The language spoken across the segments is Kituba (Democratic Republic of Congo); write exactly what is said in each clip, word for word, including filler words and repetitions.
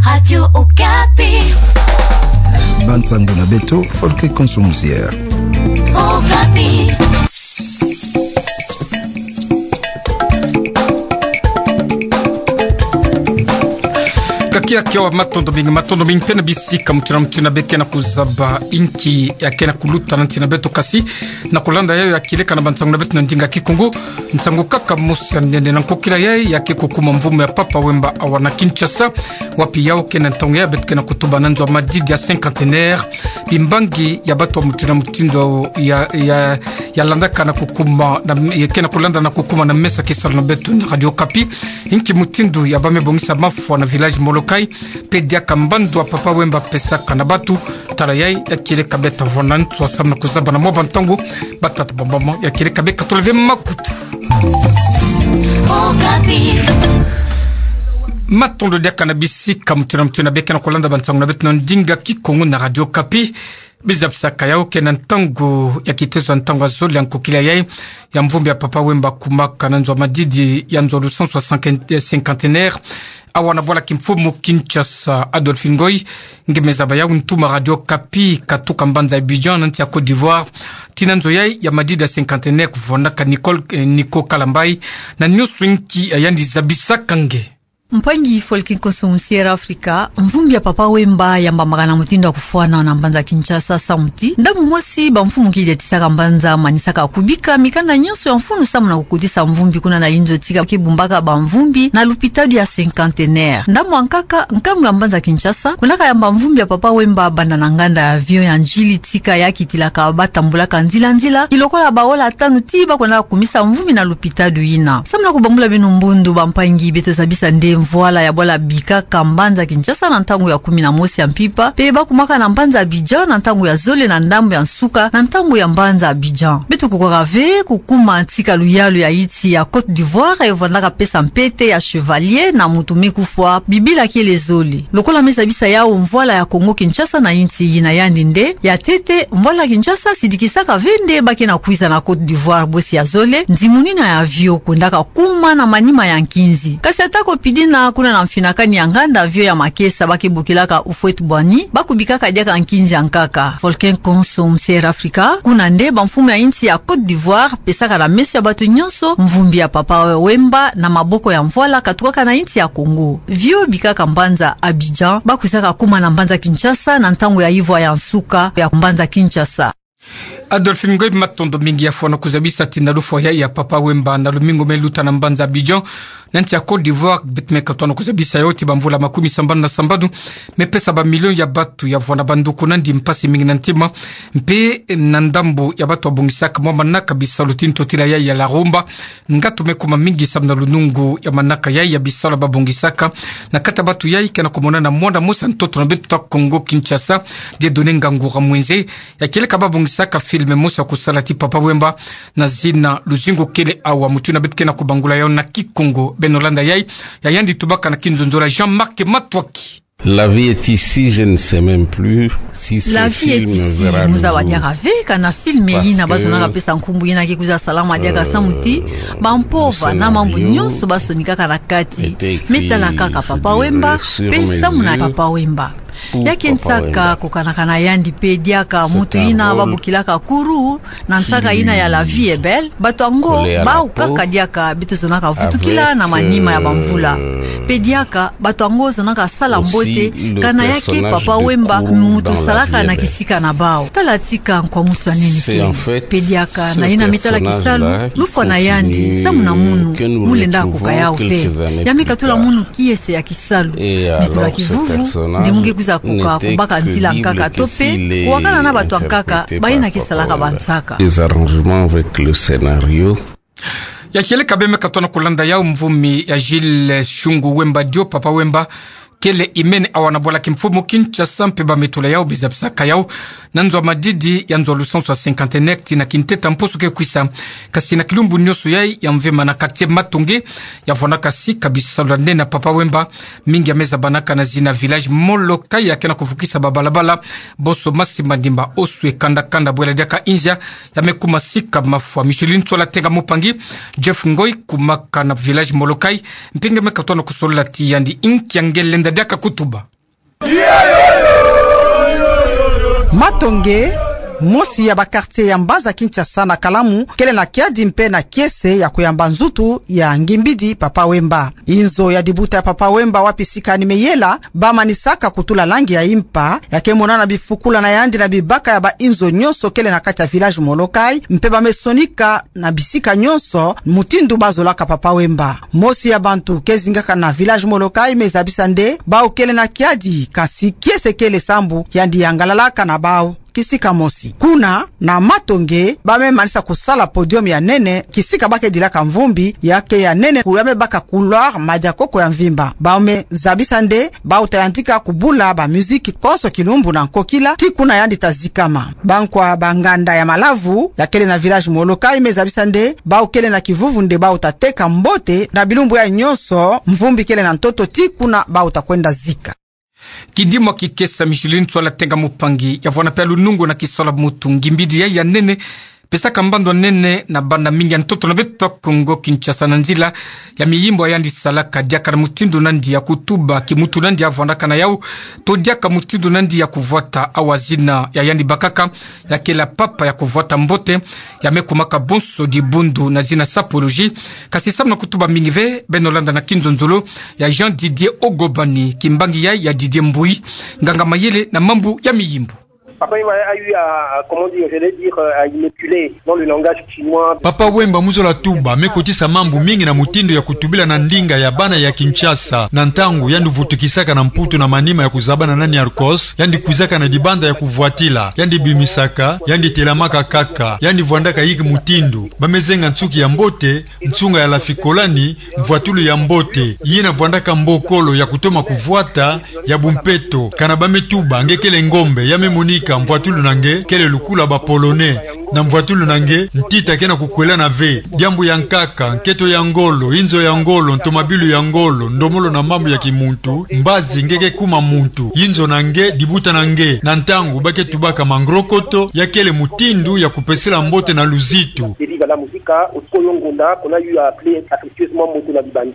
Radio Okapi. Bansango na beto, Folke Konso Musiera. Okapi. Kakia kiawa, matondo mingi, matondo mingi mpe na bisika mutu na mutu na be kena kuzaba, inki ya kena kuluta na nsi na beto kasi. Na kulanda yayo ya kieleka na bansango na beto na ndinga Kikongo, nsango kaka mosi ya nene na nkokila yayi ya ke kukuma mvumu ya Papa Wemba awa na Kinshasa, wapi yawu ke na ntangu yayi beto ke na kutuba na nzo ya madidi ya cinquantenaire, bimbangi ya bato ya mutindu na mutindu ya, ya, ya landaka na kukuma, na, ya ke na kulanda na kukuma na mesa kisalu na beto na Radio Okapi, inki mutindu ya bamibongisa mafwa na village Molokai, mpe diaka mbandu ya Papa Wemba apesaka na bato. Tala yayi ya kieleka beta vona ntu samu na kuzaba na mwa bantango, batata bamama, ya kieleka beka toleve makutu. Okapi. Matondo diaka na bisika mutu na mutu na be kena kulanda bansango na beto na ndinga Kikongo na Radio Okapi. Bizabisaka yawu ke na ntangu ya kitezo ya ntangu ya zole ya nkokila yayi ya mvumbi ya Papa Wemba akumaka na nzo ya madidi ya nzo ya lusansu ya cinquante-, cinquantenaire awa na bwala kimfumu Kinshasa. Adolphe Ngoy, nge me zaba yawu, ntuma Radio Okapi katuka mbanza Abidjan na nsi ya Côte d'Ivoire tii na nzo yayi ya madidi ya cinquantenaire kuvwandaka Nicole, eh, Nico Kalambay, na nionso inki ya yandi zabisaka nge. Mpangi Folke Konso Musiera Afrika, mvumbi ya Papa Wemba yambamaka na mutindu ya kufwana na mbanza Kinshasa samu ti ndambu mosi bamfumu kidetisaka mbanza manisaka kubika mikanda nionso ya mfunu samu na kukotisa mvumbi kuna na inzo tika ke bumbaka bamvumbi na lupitalu ya cinquantenaire. Ndambu ya nkaka, nkangu ya mbanza Kinshasa kwendaka yamba mvumbi ya Papa Wemba banda na nganda ya avion ya N'Djili tika ya kitilaka batambulaka nzila nzila, kilokola ba ola tanu tii ba kwendaka kumisa mvumbi na lupitalu yina. Samu na kubambula beno mbundu, bampangi, beto zabisa nde mvwala ya bwala bikaka mbanza Kinshasa na ntangu ya kumi na mosi ya mpimpa, mpe ba kumaka na mbanza Abidjan na ntangu ya zole na ndambu ya nsuka na ntangu ya mbanza Abidjan. Beto kukwaka ve kukuma tika luyalu ya insi ya Côte d'Ivoire, e vandaka pesa mpete ya chevalier na mutu me kufwa bibila kele zole. Lokola me zabisa yawu mvwala ya Kongo Kinshasa na insi yina, yandi nde ya ntete, mvwala Kinshasa sidikisaka ve nde ba ke na kwiza na Côte d'Ivoire, bosi ya zole, ndimunina ya avion kwendaka kuma na manima ya nkinzi. Kasi atako pidina kuna na mfinakani ya nganda avion ya makesa ba ke bokilaka Houphouët-Boigny, ba kubikaka diaka nkinzi ya nkaka. Folke Konso Musiera Afrika, kuna nde bamfumu ya insi ya Côte d'Ivoire pesaka na meso ya bato nionso mvumbi ya Papa Wemba na maboko ya mvwala katukaka na insi ya Kongo. Avion bikaka mbanza Abidjan, ba kwizaka kuma na mbanza Kinshasa na ntangu ya ivwa ya nsuka ya mbanza Kinshasa. Adolphe Ngoy, matondo mingi ya fwana kuzabisa tina lufwa ya, ya Papa Wemba na lumingu me luta na mbanza Abidjan, na nsi ya Côte d'Ivoire. Beto me katona kuzabisa yawu ti bamvula makumi sambanu na sambanu me pesa bamilio ya bato ya vwanda banduku nandi mpasi mingi na ntima, mpe na ndambu ya bato babongisaka mwa manaka bisalu ti ntotila ya, ya la rumba, ngatu me kuma mingi samu na lunungu ya manaka yayi ya bisalu babongisaka na kati ya bato yayi ke na kumonana mwanda mosi ya ntoto na beto ta Kongo Kinshasa, Dieudonné Ngangura Mwenze, ya kieleka babongisaka film mosi ya kusala ti Papa Wemba na zina Luzingu Kele Awa. Mutu na beto ke na kubangula yawu na Kikongo. Beno landa yayi, ya yandi tubaka na kinzonzolo ya Jean-Marc Matwaki. La vie est ici, je ne sais même plus si ce film verra le jour. La vie est ici, mu zaba diaka ve kana film yina ba zonaka pesa nkumbu yina ke kwiza salama diaka samu ti bampova na mambu nionso ba sonikaka na kati me tala kaka Papa Wemba, mpe samu na Papa Wemba. Ya ke nsaka kokanaka na yandi mpe diaka mutu yina ba bokilaka Kourou na nsaka yina ya La vie est belle. Bato yango bawu kaka diaka beto zonaka vutukila na manima ya bamvula. Mpe diaka bato yango zonaka sala mbote kana ya ke Papa Wemba mutu salaka na kisika na bawu. Tala tika nkwamusu ya nene kele. Mpe diaka na yina me tala kisalu, lufwa na yandi samu na munu, mu lenda koka yawu ve. Ya me katula munu kiese ya kisalu. Mitula kivuvu nde mu nge kwiza koka, kubaka nzila nkaka to mpe kuwakana na bato ya nkaka bayina ke salaka bansaka. Des arrangements avec le scénario. Ya kieleka beno me katona kulanda yawu, mvumi ya Jules Shungu Wemba Dio, Papa Wemba kele imene awa na bwala kimfumu Kinshasa, mpe ba me tula yawu, bizabisaka yawu na nzo ya madidi ya nzo ya lusansu ya cinquantenaire tii na kinteta mposo ke kwisa. Kasi na kilumbu nionso yayi ya mvema na quartier Matonge, ya vwandaka sika bisalu ya nene na Papa Wemba, mingi ya me zabanaka na zina village Molokai, ya ke na kuvukisa babalabala bonso masi mandimba, oswe, kanda kanda, bwela diaka inzia, ya me kuma sika mafwa. Micheline Tsola Tenga Mupangi, Jeff Ngoy, kumaka na village Molokai, mpe nge me katona kusolola ti yandi, inki ya nge lenda diaka kutuba. Matonge, mosi ya ba quartier ya mbanza Kinshasa na kalamu, kele na kiadi mpe na kiese ya kuyamba nzutu ya ngimbidi Papa Wemba. Inzo ya dibuta ya Papa Wemba wapi sika ni meyela, bamanisaka kutula langi ya impa, ya ke monana bifukula na yandi na bibaka ya ba inzo nyonso kele na kati ya village Molokai, mpe bamesonika na bisika nyonso mutindu bazolaka Papa Wemba. Mosi ya bantu ke zingaka na village Molokai me zabisa nde, bawu kele na kiadi, kasi kiese kele sambu, yandi yangalalaka na bawu kisika mosi. Kuna, na Matonge, bame manisa kusala podium ya nene, kisika ba ke dilaka mvumbi, ya ke ya nene, ku ya me baka couloir, madia koko ya mvimba. Bame zabisa nde, bawu ta yantika kubula ba musique konso kilumbu na nkokila, tii kuna yandi ta zikama. Bankwa ba nganda ya Malavu, ya kele na village Molokai, me zabisa nde, bawu kele na kivuvu nde bawu ta teka mbote, na bilumbu yayi nyonso, mvumbi kele na ntoto, tii kuna bawu ta kwenda zika. Kidimwa kikesa Micheline Tswala Tenga Mupangi, ya vwanda pia lunungu na kisola mutu ngimbidi yayi ya nene, pesaka mbando nene na bana mingi ya ntoto na beto Kongo Kinshasa na nzila ya miyimbu ya yandi salaka diaka na mutindu nandi ya kutuba kimutu nandi ya vwandaka na yawu, to diaka mutindu nandi ya kuvwata awa zina ya yandi bakaka, ya kele papa ya kuvwata mbote, ya me kumaka bonso dibundu na zina sapologie, kasi samu na kutuba mingi ve, beno landa na kinzonzolo ya Jean Didier Ogobani, kimbangi yayi ya Didier Mbuyi, nganga mayele na mambu ya miyimbu. Papa Wemba a eu à, à, comment dire, je vais dire, euh, à immaculer dans le langage chinois. Papa Wemba mu zola tuba, me kotisa mambu mingi na mutindu ya kutubila na ndinga ya bana ya Kinshasa, na ntangu yandi vutukisaka na Mputu na manima ya kuzabana na Niarcos, yandi kwizaka na dibanza ya kuvwatila, yandi bimisaka, yandi telamaka kaka, yandi vwandaka inki mutindu, ba me zenga nsuki ya mbote, nsunga ya lafikolani, mvwatulu ya mbote, yina vwandaka mbokolo ya kutoma kuvwata, ya bumpeto, kana ba me tuba, nge kele ngombe, ya me monika, mvwatulu na nge, kele lukula ba Polonais, na mvwatulu na nge, ntita ke na kukwelana ve, diambu ya nkaka, nketo ya ngolo, inzo ya ngolo, ntomabilu ya ngolo, ndomolo na mambu ya kimuntu, mbazi nge ke kuma muntu, inzo na nge, dibuta na nge, na ntangu ba ke tubaka mangrokoto, ya kele mutindu ya kupesela mbote na luzitu. Viva la musica, au Koyongonda, qu'on a eu à appeler affectueusement Moto na Bibani.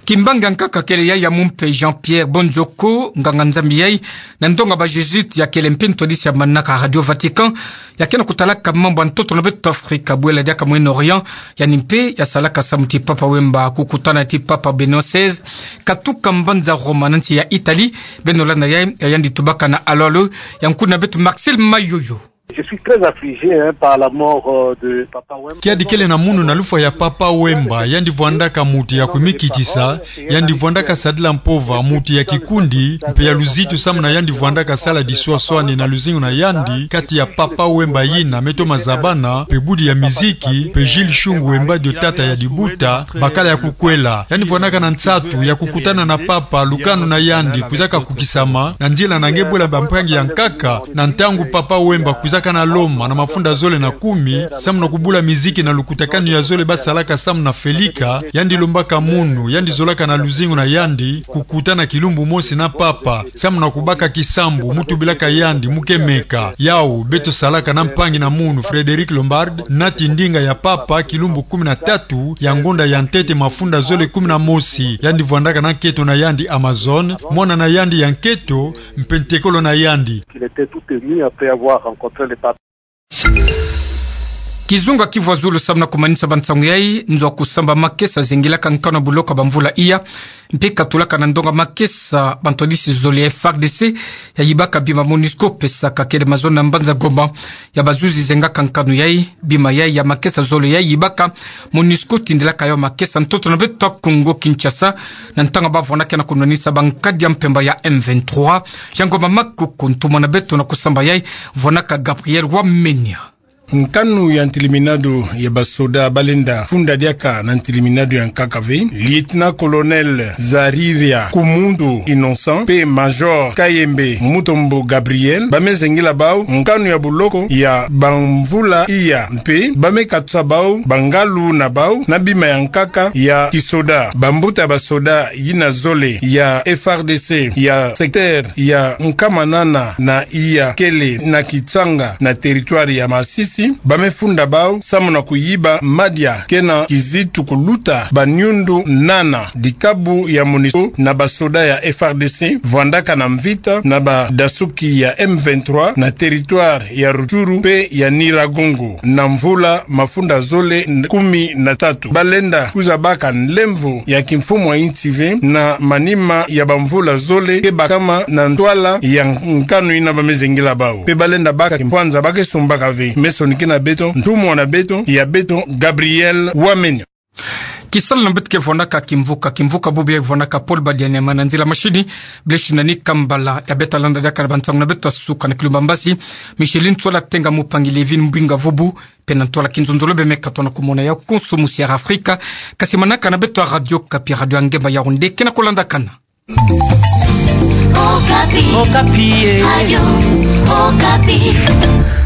Kimbangi ya nkaka kele yayi ya mumpe Jean-Pierre Bondioko, nganga-Nzambi yayi, na ndonga ba Jésuites ya kele mpe ntwadisi ya manaka Radio Vatican, ya ke na kutalaka mambu ya ntoto na beto Afrika, bwela diaka Moyen-Orient, yandi mpe ya salaka samu ti Papa Wemba kukutana ti Papa Benoît seize, katuka mbanza Roma na nsi ya Italie, beno landa yayi, ya yandi tubaka na alo-alo ya nkuna beto Marcel Mayoyo. Je suis très affligé, hein, par la mort, euh, de Papa Wemba. Kiadi kele na munu na lufwa ya Papa Wemba, yandi vwandaka mutu ya kumikitisa, yandi vwandaka sadila mpova, mutu ya kikundi, mpe ya luzitu samu na yandi vwandaka sala diswaswani na luzingu na yandi, kati ya Papa Wemba yina me toma zabana, mpe budi ya miziki, mpe Jules Shungu Wemba Dio tata ya dibuta, bakala ya kukwela. Yandi vwandaka na nsatu ya kukutana na Papa, lukanu na yandi kwizaka kukisama, na nzila na nge bwela bampangi ya nkaka, na ntangu Papa Wemba kwizaka na Loma na mafunda zole na kumi, samu na kubula miziki na lukutakanu ya zole ba salaka samu na Felika, yandi lombaka munu, yandi zolaka na luzingu na yandi, kukutana kilumbu mosi na Papa, samu na kubaka kisambu, mu tubilaka yandi, mu kemeka. Yawu, beto salaka na mpangi na munu, Frédéric Lombard, nati ndinga ya Papa, kilumbu kumi na tatu, ya ngonda ya ntete mafunda zole kumi na mosi, yandi vwandaka na nketo na yandi Amazone, mwana na yandi ya nketo, mpe ntekolo na yandi. Il était tout ému après avoir rencontré le pape. Kizunga kivwa zulu samu na kumanisa bansangu yayi, nzo kusamba makesa zingilaka nkanu ya buloko ya bamvula iya, mpe katulaka na ndonga makesa bantwadisi zole ya F A R D C, ya yibaka bima MONUSCO pesaka kele mazono na mbanza Goma, ya bazuzi zengaka nkanu yayi, bima yayi ya makesa zole ya yibaka, MONUSCO tindilaka yawu makesa ntoto na beto Kongo Kinshasa, na ntangu ba vwanaka na kunwanisa bankadi ya mpemba ya M vingt-trois, ya Goma Makuku, ntumwa na beto na kusamba yayi, vwanaka Gabriel Wamenya. Nkanu ya ntiliminado ya basoda balenda funda diaka na ntiliminado ya nkaka ve, Lieutenant-colonel Zariria Kumundu Innocent, mpe Major Kayembe Mutombo Gabriel, ba me zengila bawu nkanu ya buloko ya bamvula iya, mpe ba me katusa bawu bangalu na bawu na bima ya nkaka ya kisoda. Bambuta basoda yina zole ya F A R D C ya secteur ya Nkamanana na iya kele na Kitsanga na territoire ya Masisi, Bamefunda bau samu na kuyiba madia kena kizitu kuluta baniundu nana dikabu ya MONUSCO na basoda ya F R D C vwandaka na mvita na badasuki ya M vingt-trois na territoire ya Rutshuru mpe ya Nyiragongo na mvula mafunda zole kumi na tatu. Balenda kwiza baka nlemvo ya kimfumu ya insi ve na manima ya bamvula zole ke bakama na ntwala ya nkanu yina bamezengela bau. Mpe balenda baka kimpwanza ba ke sombaka ve. Mesoni kina beto, ntumwa na beto, ya beto, Gabriel Wamenya. Kisalu na beto ke vwanaka kimvuka, kimvuka bubu ya vwanaka Paul Badiania, ma na nzila mashini, Blaise Nani Kambala, ya beta landa diaka na bansangu na beto ya suka na kilumba mbasi, Micheline Tsola Tenga, Mupangi Levin Mbinga Vubu, mpe na ntwala kinzonzolo bemeka tona kumona ya konso musi ya Afrika, kasi manaka na beto ya Radio Okapi, radio ya ngemba ya Yaoundé, kena kolandakana. Okapi. Okapi, eh. Radio Okapi.